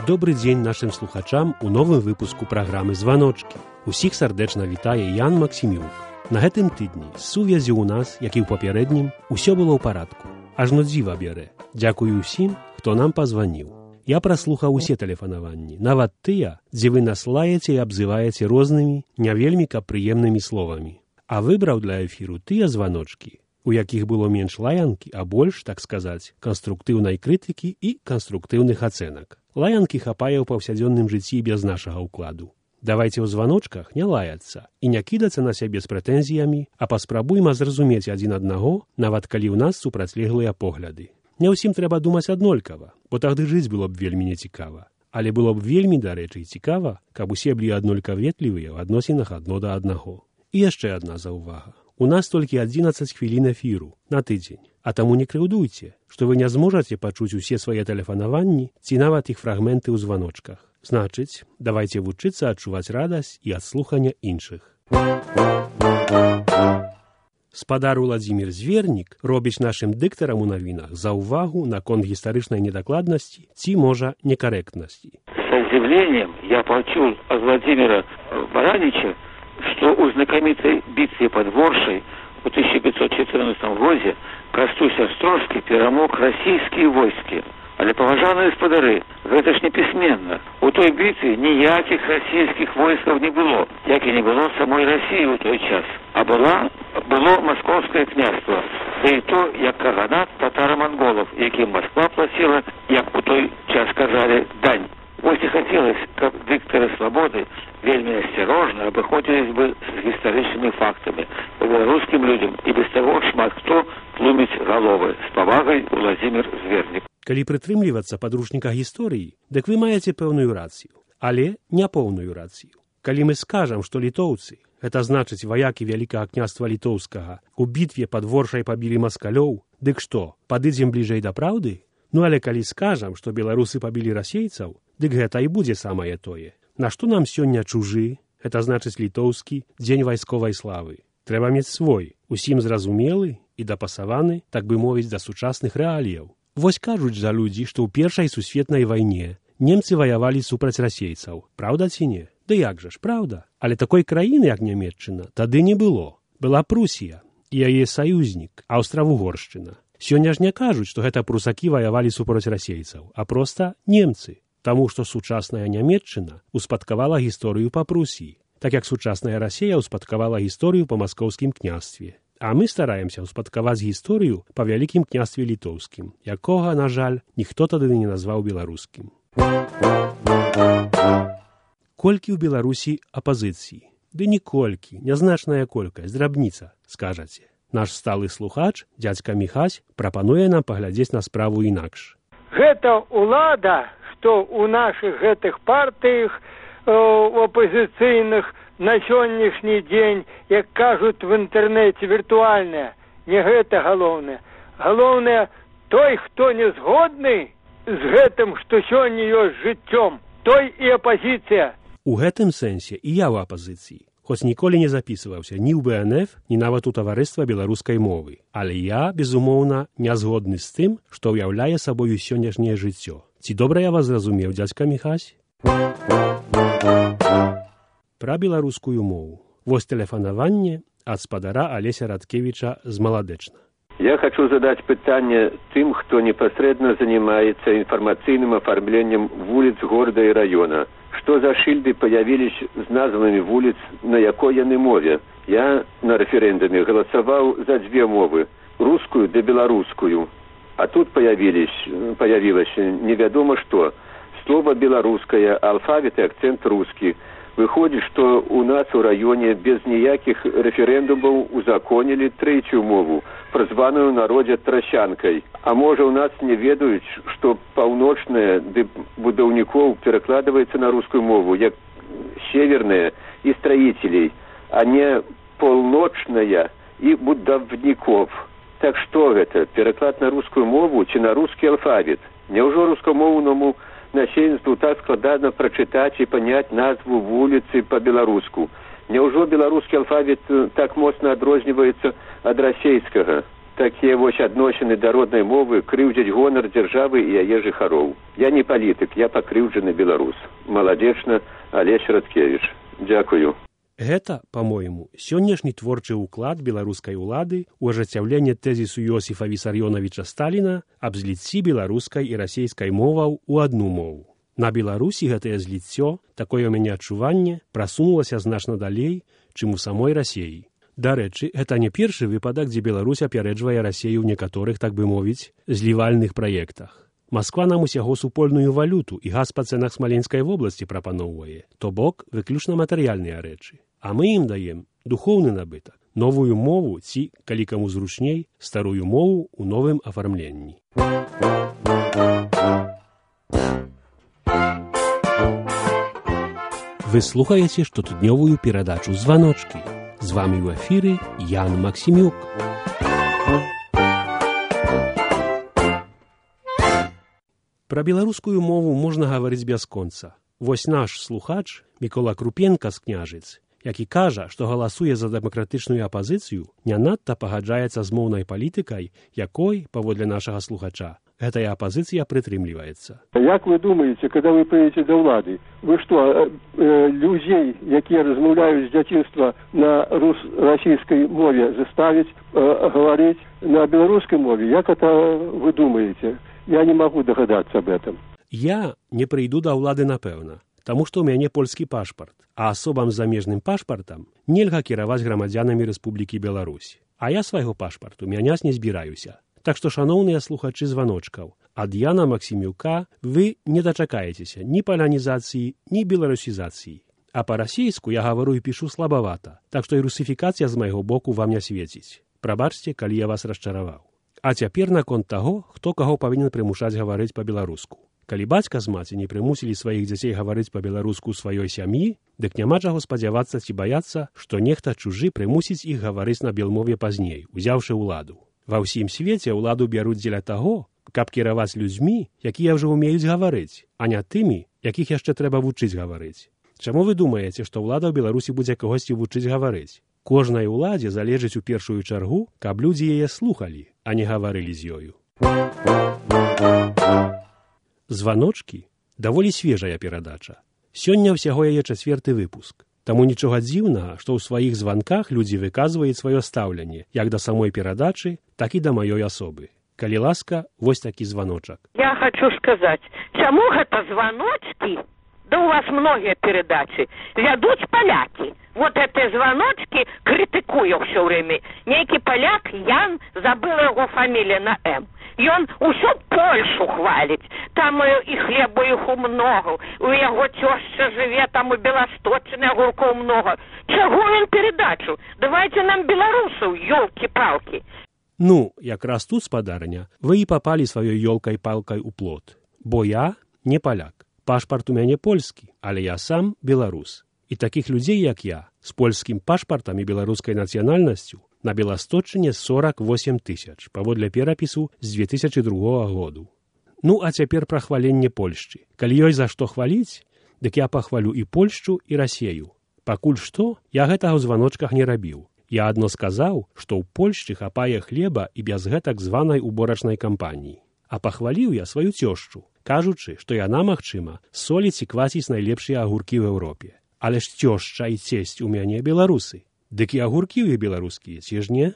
Добры дзень нашым слухачам у новым выпуску праграмы «Званочкі». Усіх сардэчна вітае Ян Максімюк. На гэтым тыдні з сувязі ў нас, як і ў папярэднім, усё было ў парадку. Ажно дзіва бярэ. Дзякую ўсім, хто нам пазваніў. Я праслухаў усе тэлефанаванні, нават тыя, дзе вы нас лаеце і абзываеце рознымі, не вельмі прыемнымі словамі. А выбраў для эфіру тыя званочкі, у якіх было менш лаянкі, а больш, так сказаць, канструктыўнай крытыкі і канструктыўных ацэнак. Лаянкі хапае ў паўсядзённым жыцці без нашага ўкладу. Давайце ў званочках не лаяцца і не кідацца на сябе з прэтэнзіямі, а паспрабуйма зразумець адзін аднаго, нават калі ў нас супрацьлеглыя погляды. Не ўсім трэба думаць аднолькава, бо тагды жыць было б вельмі нецікава. Але было б вельмі, дарэчы, цікава, каб усе былі аднолькаветлівыя ў адносінах адно да аднаго. І яшчэ адна заўвага. У нас толькі 11 хвілін эфіру на тыдзень, а таму не крыўдуйце, што вы не зможаце пачуць усе свае тэлефанаванні ці нават іх фрагменты ў званочках. Значыць, давайце вучыцца адчуваць радасць і ад слухання іншых. Спадар Уладзімір Звернік робіць нашым дыктарам у навінах заўвагу наконт гістарычнай недакладнасці ці, можа, некарэктнасці. С удивлением я почул от Владимира Баранича, что у знакомитой битве под Воршей в 1514 году Кастусь Острожский перамог российские войски. Але, паважаныя спадары, гэта ж не пісьменна. У той бітве ніякіх расійскіх войскаў не было, як і не было самой России ў той час. А было Московское княжство, да і то, як каганат татаро-монголов, якім Москва платила, як у той час казали, дань. Вось і хацелось, каб дыктары свабоды вельмі асцярожна абыходзілись бы з гістарычнымі фактамі. По беларускім людям і без таго шмат хто тлуміць галовы. З павагай Уладзімір Звернік. Калі прытрымлівацца падручніка гісторыі, дык вы маеце пэўную рацыю, але няпоўную рацыю. Калі мы скажам, што літоўцы, гэта значыць ваякі Вялікага княства Літоўскага, у бітве пад Воршай пабілі маскалёў, дык што, падыдзем бліжэй да праўды? Ну але калі скажам, што беларусы пабілі расейцаў, дык гэта і будзе самае тое. Нашто нам сёння чужы, гэта значыць літоўскі, дзень вайсковай славы. Трэба мець свой, усім зразумелы і дапасаваны, так бы мовіць, да сучасных рэаліяў. Вось кажуць жа людзі, што ў Першай сусветнай вайне немцы ваявалі супраць расейцаў. Праўда ці не? Ды як жа ж, праўда. Але такой краіны, як Нямецчына, тады не было. Была Прусія і яе саюзнік, Аўстра-Вугоршчына. Сёння ж не кажуць, што гэта прусакі ваявалі супраць расейцаў, а проста немцы. Таму што сучасная Нямецчына успадкавала гісторыю па Прусіі, так як сучасная Расія успадкавала гісторыю па маскоўскім княстве. А мы стараемся успадкаваць гісторыю па Вялікім княстве Літоўскім, якога, на жаль, ніхто тады не назваў беларускім. Колькі ў Беларусі апазіцыі? Ды ніколькі, нязначная колькасць, драбніца, скажаце. Наш сталы слухач, дзядзька Міхась, прапануе нам паглядзець на справу інакш. Гэта ўлада, што ў нашых гэтых партыях апозіцыйных на сённяшні дзень, як кажуць в інтэрнэце, віртуальная. Не гэта галоўнае. Галоўнае, той, хто не згодны з гэтым, што сёння ёсць жыццём, той і апозіцыя. У гэтым сэнсе і я ў апазіцыі, хоць ніколі не запісваўся ні ў БНФ, ні нават у таварыства беларускай мовы. Але я, безумоўна, не згодны з тым, што ўяўляе сабою сённяшняе жыццё. Ці добра я вас зразумеў, дзядзька Міхась? Пра беларускую мову. Вось тэлефанаванне ад спадара Алеся Радкевіча з Маладэчна. Я хочу задать питание тем, кто непосредственно занимается информационным оформлением улиц города и района. Что за шильды появились с названными улиц, на якой яны мове? Я на референдуме голосовал за две мовы, русскую да белорусскую. А тут появилось неведомо что. Слово белорусское, алфавит и акцент русский. Выходит, что у нас у районе без ніякіх референдумаў узаконілі трэцюю мову, празваную ў народзе трасянкай. А можа, у нас не ведаюць, што паўночная ды будаўнікоў перакладваецца на рускую мову, як северная і строителей, а не полночная і будаўніков. Так што гэта, пераклад на рускую мову ці на рускі алфавіт? Няўжо рускамоўнаму насельніцтву так складана прачытаць і паняць назву вуліцы па-беларуску? Няўжо беларускі алфавіт так моцна адрозніваецца ад расейскага? такія вось адносіны да роднай мовы крыўдзяць гонар дзяржавы і яе жыхароў. Я не палітык, я пакрыўджаны беларус. Маладзечна, Алесь Радкевіч. Дзякую. Гэта, па-мойму, сённяшні творчы ўклад беларускай улады ў ажыццяўленне тэзісу Йосіфа Вісарёнавіча Сталіна аб зліцці беларускай і расейскай моваў у адну мову. На Беларусі гэтае зліццё, такое ў мяне адчуванне, прасунулася значна далей, чым у самой Расеі. Дарэчы, гэта не першы выпадак, дзе Беларусь апярэджвае Расею ў некаторых, так бы мовіць, злівальных праектах. Масква нам усяго супольную валюту і газ па цэнах Смаленскай вобласці прапаноўвае, то бок выключна матэрыяльныя рэчы. А мы ім даем духоўны набытак, новую мову ці, калі каму зручней, старую мову ў новым афармленні. Вы слухаеце штотыднёвую перадачу «Званочкі». З вамі ў эфіры Ян Максімюк. Пра беларускую мову можна гаварыць бясконца. Вось наш слухач Мікола Крупенка з Княжыц, які кажа, што галасуе за дэмакратычную апазіцыю, не надта пагаджаецца з моўнай палітыкай, якой, паводле нашага слухача, гэтая апазіцыя прытрымліваецца. Як вы думаеце, когда вы прыйдзеце да ўлады, вы што, людзей, якія размаўляюць з дзяцінства на расійскай мове, заставіць гаварыць на беларускай мове? Як это вы думаеце? Я не магу дагадацца об этом. Я не прыйду да ўлады, напэўна, таму што ў мяне польскі пашпарт, а асобам з замежным пашпартам нельга кіраваць грамадзянамі Рэспублікі Беларусь. А я свайго пашпарту мяняць не збіраюся. Так што, шаноўныя слухачы званочкаў, ад Яна Максімюка вы не дачакаецеся ні палянізацыі, ні беларусізацыі. А па-расейску я гавару і пішу слабавата, так што і русіфікацыя з майго боку вам не свеціць. Прабачце, калі я вас расчараваў. А цяпер наконт таго, хто каго павінен прымушаць гаварыць па-беларуску. Калі бацька з маці не прымусілі сваіх дзяцей гаварыць па-беларуску ў сваёй сям'і, дык няма чаго спадзявацца ці баяцца, што нехта чужы прымусіць іх гаварыць на белмове пазней, узяўшы ўладу. Ва ўсім свеце ўладу бяруць дзеля таго, каб кіраваць людзьмі, якія ўжо ўмеюць гаварыць, а не тымі, якіх яшчэ трэба вучыць гаварыць. Чаму вы думаеце, што ўлада ў Беларусі будзе кагосьці вучыць гаварыць? Кожнай уладзе залежыць у першую чаргу, каб людзі яе слухалі, а не гаварылі з ёю. Званочкі даволі свежая перадача. Сёння ўсяго яе 4-й выпуск. Таму нічога дзіўнага, што ў сваіх званках людзі выказваюць сваё стаўленне як да самой перадачы, так і да маёй асобы. Калі ласка, вось такі званочак. Я хочу сказаць, чаму гэта званочкі? Да у вас многія перадачы вядуць палякі. Вот эти звоночки критикую все время. Некий поляк, Ян, забыла его фамилия на М. И он усю Польшу хвалить. Там и хлеба их много. У его теща живе, там и белосточный огурков много. Чего он передачу? Давайте нам белорусов, елки-палки. Ну, якраз тут, спадарня, вы і папалі сваёй ёлкай-палкай у плот. Бо я не паляк. Пашпарт у мяне польскі, але я сам беларус. І такіх людзей, як я, з польскім пашпартам і беларускай нацыянальнасцю на Беласточыне 48 000, паводле перапісу з 2002 году. Ну, а цяпер пра хваленне Польшчы. Калі ёсць за што хваліць, дык я пахвалю і Польшчу, і Расею. Пакуль што, я гэтага ў званочках не рабіў. Я адно сказаў, што ў Польшчы хапае хлеба і без гэтак званай уборачнай кампаніі. А пахваліў я сваю цёшчу, кажучы, што яна, магчыма, соліць і квасіць найлепшыя агуркі ў Еўропе. Але ж цёшча і цесць у мяне беларусы. Дык і агуркі ў беларускія, ці ж не?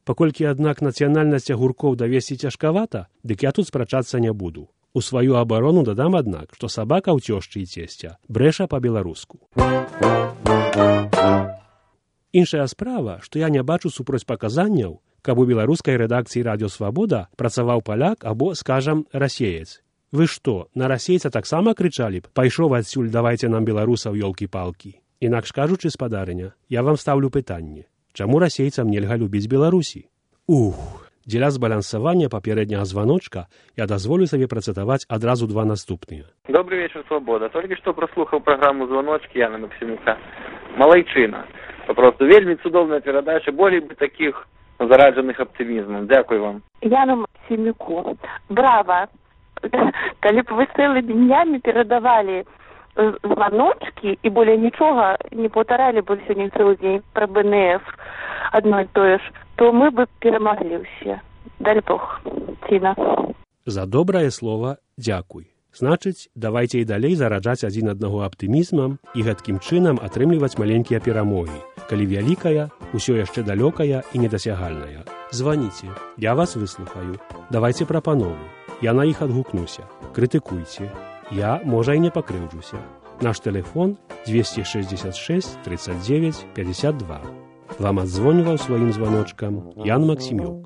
Паколькі, аднак, нацыянальнасць агуркоў давесці цяжкавата, дык я тут спрачацца не буду. У сваю абарону дадам, аднак, што сабака ў цёшчы і цесця брэша па-беларуску. Іншая справа, што я не бачу супроцьпаказанняў, каб у беларускай рэдакцыі «Радыё Свабода» працаваў паляк або, скажам, расеец. Вы што, на расейца таксама крычалі б: «Пайшоў адсюль, давайце нам беларусаў, ёлкі-палкі». Інакш кажучы, спадарыня, я вам стаўлю пытанне: чаму расейцам нельга любіць Беларусі? Дзеля збалансавання папярэдняга званочка я дазволю сабе працытаваць адразу два наступныя. Добрый вечер, Свобода. Только что прослухал программу «Звоночки» Яна Максимюка. Малайчина. Просто вельми цудовная передача, более бы таких зарадженых оптимизмом. Дякую вам. Яну Максимюку. Браво. Калі б вы цэлымі днямі перадавалі звоночки і более нічога не паўтаралі б сёння цэлы дзень пра БНФ адно і тое ж, то мы бы перамаглі ўсе. Дай Бог. Ціна. За добрае слова дзякуй. Значыць, давайце і далей зараджаць адзін аднаго аптымізмам і гэткім чынам атрымліваць маленькія перамогі, калі вялікая, усё яшчэ далёкая і недасягальная. Званіце, я вас выслухаю. Давайце прапановы. Я на іх адгукнуся. Крытыкуйце. Я, можа, і не пакрыўджуся. Наш тэлефон 266 39 52. Вам адзвоніваў сваім званочкам Ян Максімюк.